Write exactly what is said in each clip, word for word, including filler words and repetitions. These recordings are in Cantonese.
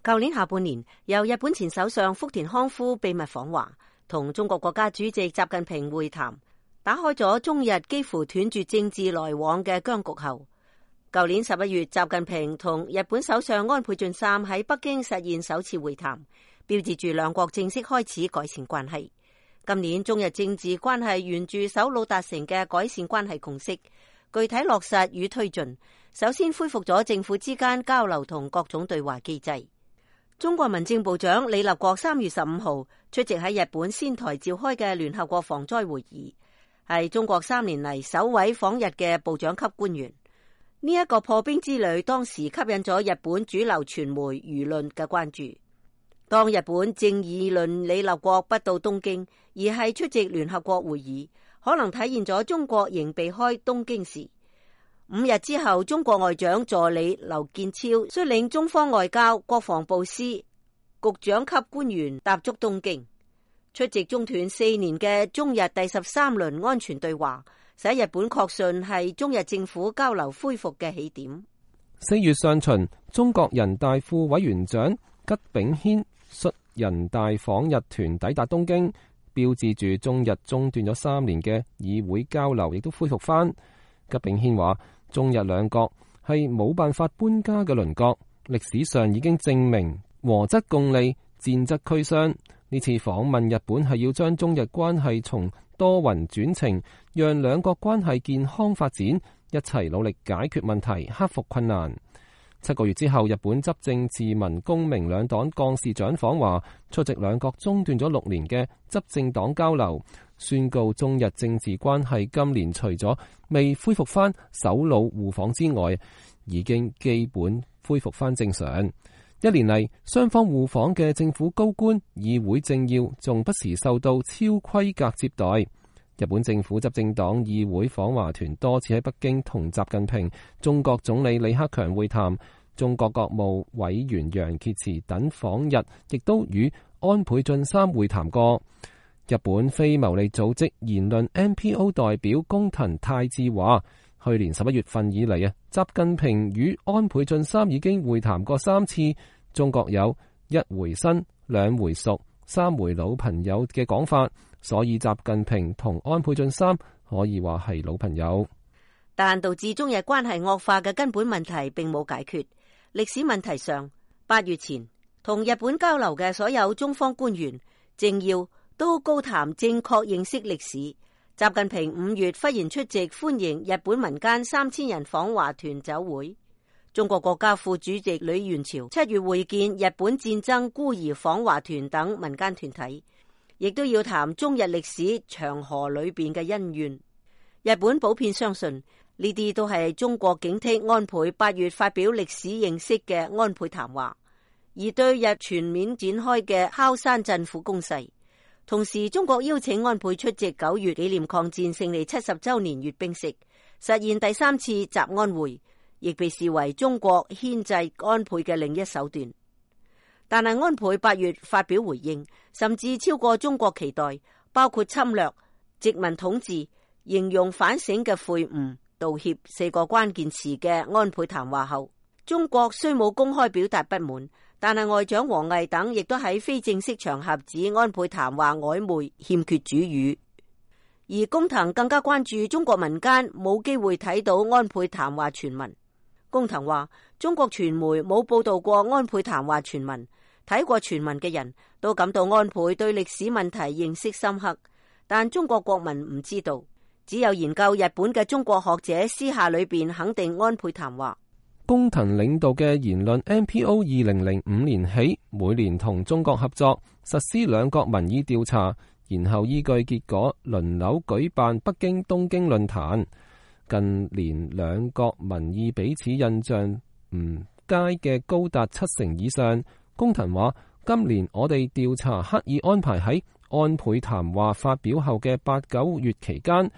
舊年下半年，由日本前首相福田康夫秘密訪華，同中國國家主席習近平會談，打開咗中日幾乎斷絕政治來往嘅僵局後，舊年十一月，習近平同日本首相安倍晉三喺北京實現首次會談，標誌住兩國正式開始改善關係。今年中日政治關係沿住首腦達成嘅改善關係共識，具體落實與推進。首先恢復咗政府之間交流同各種對話機制。中國民政部長李立國三月十五號出席喺日本仙台召開嘅聯合國防災會議，係中國三年嚟首位訪日嘅部長級官員。呢、這、一個破冰之旅當時吸引咗日本主流傳媒輿論嘅關注。當日本正議論李立國不到東京，而係出席聯合國會議，可能體現咗中國仍避開東京時。五日之後，中國外長助理劉建超率領中方外交、國防部司局長級官員踏足東京，出席中斷四年嘅中日第十三輪安全對話，使日本確信係中日政府交流恢復嘅起點。四月上旬，中國人大副委員長吉炳軒率人大訪日團抵達東京，標誌住中日中斷咗三年嘅議會交流亦都恢復翻。吉炳軒話：中日兩國係冇辦法搬家嘅鄰國，歷史上已經證明和則共利，戰則俱傷。呢次訪問日本係要將中日關係從多雲轉晴，讓兩國關係健康發展，一齊努力解決問題，克服困難。七個月之後，日本執政自民公明兩黨幹事長訪華，出席兩國中斷咗六年嘅執政黨交流，宣告中日政治關係今年除咗未恢復翻首腦互訪之外，已經基本恢復翻正常。一年嚟，雙方互訪嘅政府高官、議會政要，仲不時受到超規格接待。日本政府執政黨議會訪華團多次喺北京同習近平、中國總理李克強會談，中國國務委員楊潔篪等訪日，亦都與安倍晉三會談過。日本非牟利組織言論 N P O 代表工藤泰志話：去年十一月份以嚟啊，習近平與安倍晉三已經會談過三次。中國有一回生、兩回熟、三回老朋友嘅講法，所以習近平同安倍晉三可以話係老朋友。但導致中日關係惡化嘅根本問題並冇解決。歷史問題上，八月前同日本交流嘅所有中方官員、政要都高談正確認識歷史。習近平五月忽然出席歡迎日本民間三千人訪華團酒會。中國國家副主席呂元朝七月會見日本戰爭孤兒訪華團等民間團體，亦都要談中日歷史長河裏邊嘅恩怨。日本普遍相信呢啲都係中國警惕安倍八月發表歷史認識嘅安倍談話，而對日全面展開嘅敲山震虎攻勢。同時，中國邀請安倍出席九月紀念抗戰勝利七十周年閱兵式，實現第三次習安會，亦被視為中國牽制安倍嘅另一手段。但係安倍八月發表回應，甚至超過中國期待，包括侵略、殖民統治、形容反省嘅悔悟、道歉四個關鍵詞嘅安倍談話後，中國雖冇公開表達不滿，但係外長王毅等亦都喺非正式場合指安倍談話曖昧、欠缺主語。而工藤更加關注中國民間冇機會睇到安倍談話全文。工藤話：中國傳媒冇報道過安倍談話全文，睇過全文嘅人都感到安倍對歷史問題認識深刻，但中國國民唔知道。只有研究日本嘅中國學者私下裏邊肯定安倍談話。工藤領導嘅言論 N P O 二零零五年起每年同中國合作實施兩國民意調查，然後依據結果輪流舉辦北京、東京論壇。近年兩國民意彼此印象唔佳嘅高達七成以上。工藤話：今年我哋調查刻意安排喺安倍談話發表後嘅八九月期間。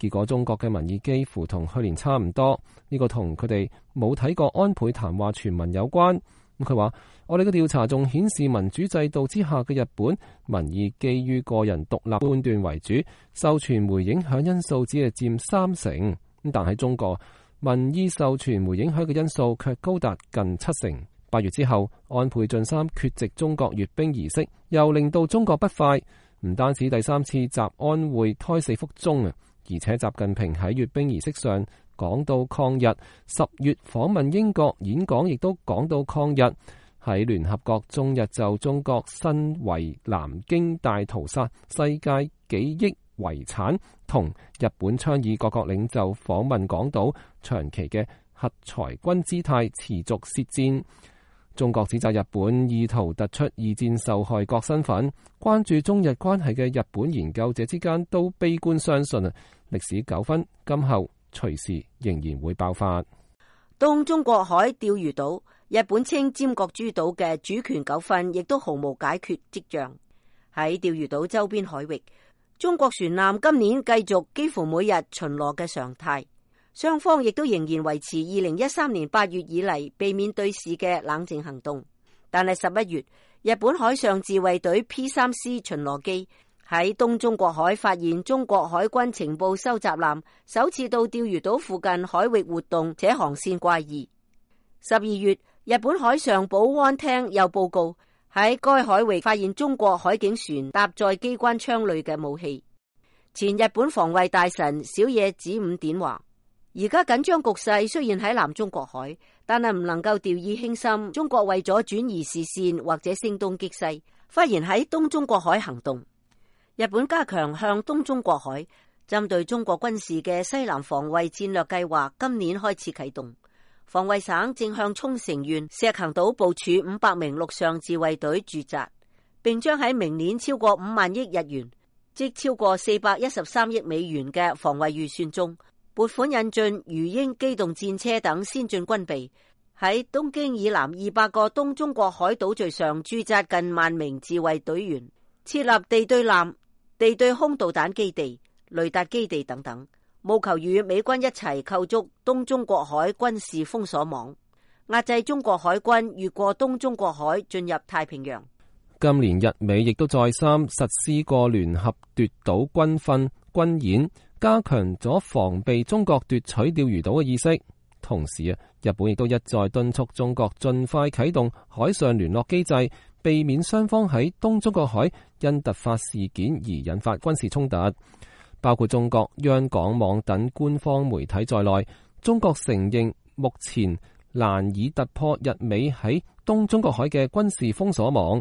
結果中國嘅民意幾乎同去年差唔多，呢、這個同佢哋冇睇過安倍談話全文有關。咁佢話：我哋嘅調查仲顯示民主制度之下嘅日本民意基於個人獨立判斷為主，受傳媒影響因素只係佔三成。咁但喺中國，民意受傳媒影響嘅因素卻高達近七成。八月之後，安倍晉三缺席中國閱兵儀式，又令到中國不快。唔單止第三次習安會胎死腹中啊，而且習近平喺閱兵儀式上講到抗日，十月訪問英國演講亦都講到抗日。喺聯合國中日就中國身為南京大屠殺世界記憶遺產，同日本倡議各國領袖訪問港島，長期嘅核裁軍姿態持續舌戰。中國指責日本意圖突出二戰受害國身份，關注中日關係嘅日本研究者之間都悲觀相信啊，歷史糾紛今後隨時仍然會爆發。東中國海釣魚島，日本稱尖閣諸島嘅主權糾紛亦都毫無解決跡象。喺釣魚島周邊海域，中國船艦今年繼續幾乎每日巡邏嘅常態。雙方亦都仍然維持二零一三年八月以嚟避免對峙嘅冷靜行動，但係十一月，日本海上自衛隊 P 三 C 巡邏機喺東中國海發現中國海軍情報收集艦首次到釣魚島附近海域活動，且航線怪異。十二月，日本海上保安廳又報告喺該海域發現中國海警船搭載機關槍類嘅武器。前日本防衛大臣小野寺五典話，而家緊張局勢雖然喺南中國海，但係唔能夠掉以輕心。中國為咗轉移視線或者聲東擊西，忽然喺東中國海行動。日本加強向東中國海針對中國軍事嘅西南防衛戰略計劃，今年開始啟動。防衛省正向沖繩縣石垣島部署五百名陸上自衛隊駐紮，並將喺明年超過五萬億日元，即超過四百一十三億美元嘅防衛預算中，撥款引進魚鷹機動戰車等先進軍備，喺東京以南二百個東中國海島嶼上駐紮近萬名自衛隊員，設立地對艦、地對空導彈基地、雷達基地等等，務求與美軍一齊構築東中國海軍事封鎖網，壓制中國海軍越過東中國海進入太平洋。今年日美亦都再三實施過聯合奪島軍訓軍演，加強咗防備中國奪取釣魚島嘅意識。同時啊，日本亦都一再敦促中國盡快啟動海上聯絡機制，避免雙方喺東中國海因突發事件而引發軍事衝突。包括中國央廣網等官方媒體在內，中國承認目前難以突破日美喺東中國海嘅軍事封鎖網。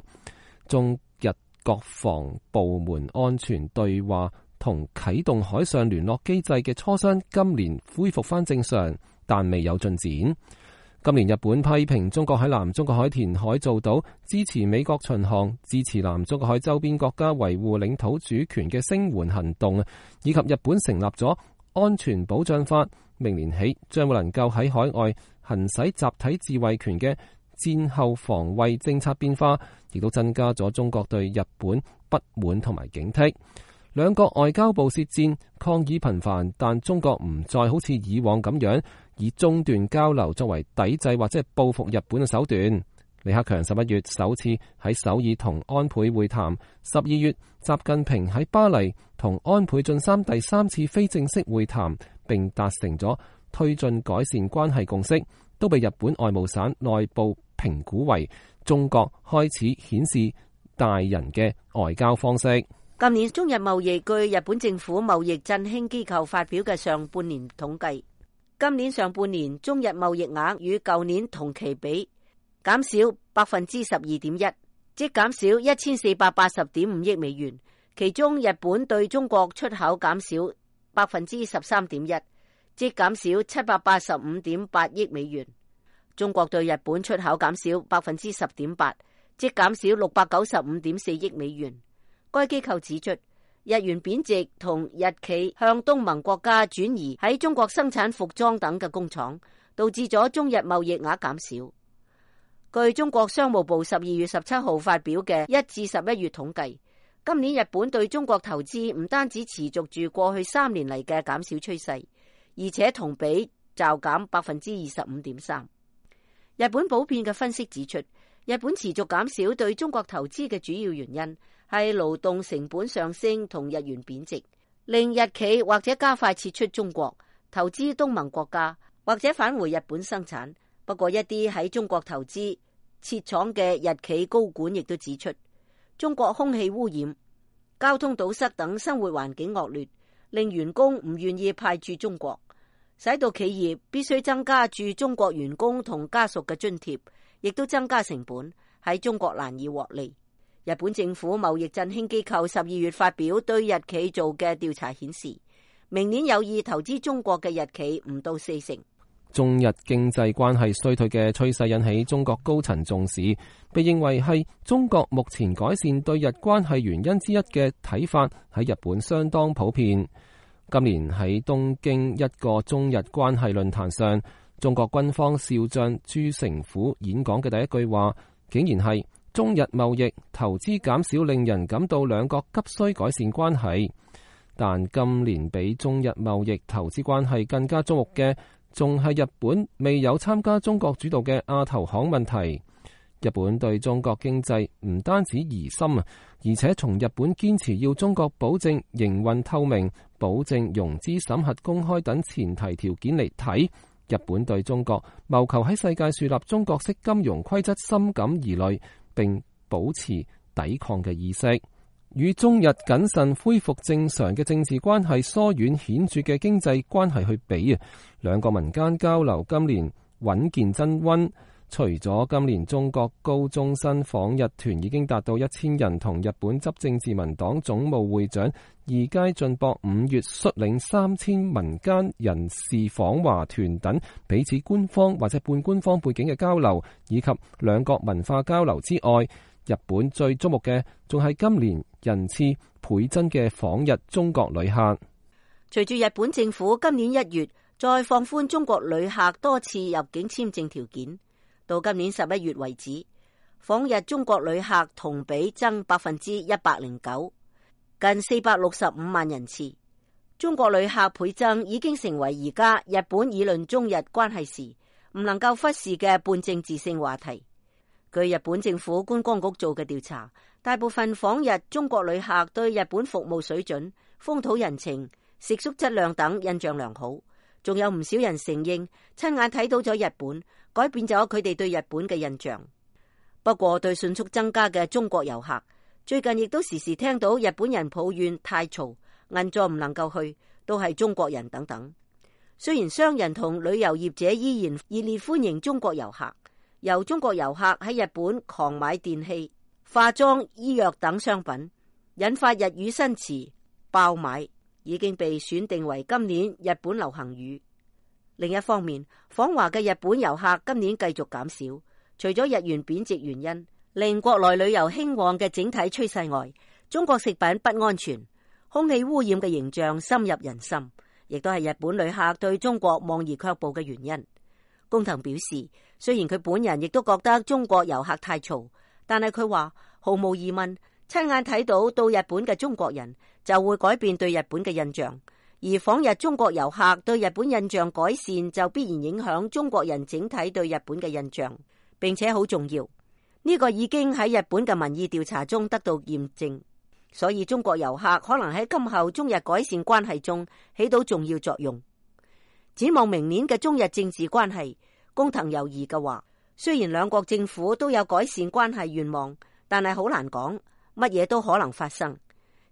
中日國防部門安全對話同啟動海上聯絡機制嘅磋商今年恢復返正常，但未有進展。今年日本批評中國喺南中國海填海造島，支持美國巡航，支持南中國海周邊國家維護領土主權嘅聲援行動，以及日本成立咗安全保障法，明年起將會能夠喺海外行使集體自衛權嘅戰後防衛政策變化，亦都增加咗中國對日本不滿同埋警惕。兩國外交部舌戰，抗議頻繁，但中國唔再好似以往咁樣以中斷交流作為抵制或者係報復日本嘅手段。李克強十一月首次喺首爾同安倍會談，十二月習近平喺巴黎同安倍晉三第三次非正式會談，並達成咗推進改善關係共識，都被日本外務省內部評估為中國開始顯示大人嘅外交方式。今年中日貿易據日本政府貿易振興機構發表嘅上半年統計，今年上半年中日貿易額與舊年同期比減少百分之十二點一，即減少一千四百八十點五億美元。其中日本對中國出口減少百分之十三點一，即減少七百八十五點八億美元。中國對日本出口減少百分之十點八，即減少六百九十五點四億美元。該機構指出，日元貶值同日企向東盟國家轉移喺中國生產服裝等嘅工廠，導致咗中日貿易額減少。據中國商務部十二月十七號發表嘅一至十一月統計，今年日本對中國投資唔單止持續住過去三年嚟嘅減少趨勢，而且同比驟減百分之二十五點三。日本普遍嘅分析指出，日本持續減少對中國投資嘅主要原因係勞動成本上升同日元貶值，令日企或者加快撤出中國，投資東盟國家，或者返回日本生產。不過一啲喺中國投資設廠嘅日企高管亦都指出，中國空氣污染、交通堵塞等生活環境惡劣，令員工唔願意派駐中國，使到企業必須增加駐中國員工同家屬嘅津貼，亦都增加成本，喺中國難以獲利。日本政府貿易振興機構十二月發表對日企做嘅調查顯示，明年有意投資中國嘅日企唔到四成。中日經濟關係衰退嘅趨勢引起中國高層重視，被認為係中國目前改善對日關係原因之一嘅睇法喺日本相當普遍。今年喺東京一個中日關係論壇上，中國軍方少將朱成虎演講嘅第一句話，竟然係中日貿易投資減少令人感到兩國急需改善關係。但今年比中日貿易投資關係更加矚目嘅，仲係日本未有參加中國主導嘅亞投行問題。日本對中國經濟唔單止疑心啊，而且從日本堅持要中國保證營運透明、保證融資審核公開等前提條件嚟睇，日本對中國謀求喺世界樹立中國式金融規則深感疑慮，並保持抵抗嘅意識。與中日謹慎恢復正常嘅政治關係疏遠顯著嘅經濟關係去比啊，兩個民間交流今年穩健增溫。除咗今年中國高中生訪日團已經達到一千人，同日本執政自民黨總務會長二階俊博五月率領三千民間人士訪華團等彼此官方或者半官方背景嘅交流，以及兩國文化交流之外，日本最矚目嘅仲係今年人次倍增嘅訪日中國旅客。隨住日本政府今年一月再放寬中國旅客多次入境簽證條件，到今年十一月為止，訪日中國旅客同比增百分之一百零九，近四百六十五萬人次。中國旅客倍增已經成為而家日本議論中日關係時唔能夠忽視嘅半政治性話題。據日本政府觀光局做嘅調查，大部分訪日中國旅客對日本服務水準、風土人情、食宿質量等印象良好，仲有唔少人承認親眼睇到咗日本，改變咗佢哋對日本嘅印象。不過對迅速增加嘅中國遊客，最近亦都時時聽到日本人抱怨太嘈、銀座唔能夠去，都係中國人等等。雖然商人同旅遊業者依然熱烈歡迎中國遊客，由中國遊客喺日本狂買電器、化妝、醫藥等商品，引發日語新詞爆買，已經被選定為今年日本流行語。另一方面，訪華嘅日本遊客今年繼續減少，除咗日元貶值原因令國內旅遊興旺嘅整體趨勢外，中國食品不安全、空氣污染嘅形象深入人心，亦都係日本旅客對中國望而卻步嘅原因。工藤表示，雖然佢本人亦都覺得中國遊客太嘈，但係佢話毫無疑問，親眼睇到到日本嘅中國人就會改變對日本嘅印象，而訪日中國遊客對日本印象改善就必然影響中國人整體對日本嘅印象，並且好重要。呢個已經喺日本嘅民意調查中得到驗證，所以中國遊客可能喺今後中日改善關係中起到重要作用。展望明年嘅中日政治關係，工藤猶豫嘅話，雖然兩國政府都有改善關係願望，但係好難講，乜嘢都可能發生。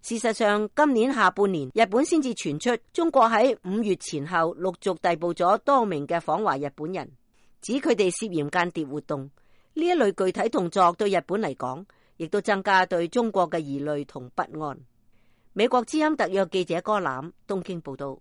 事實上，今年下半年日本先至傳出中國喺五月前後陸續逮捕咗多名嘅訪華日本人，指佢哋涉嫌間諜活動。呢一類具體動作對日本嚟講，亦都增加對中國嘅疑慮同不安。美國之音特約記者柯欖東京報道。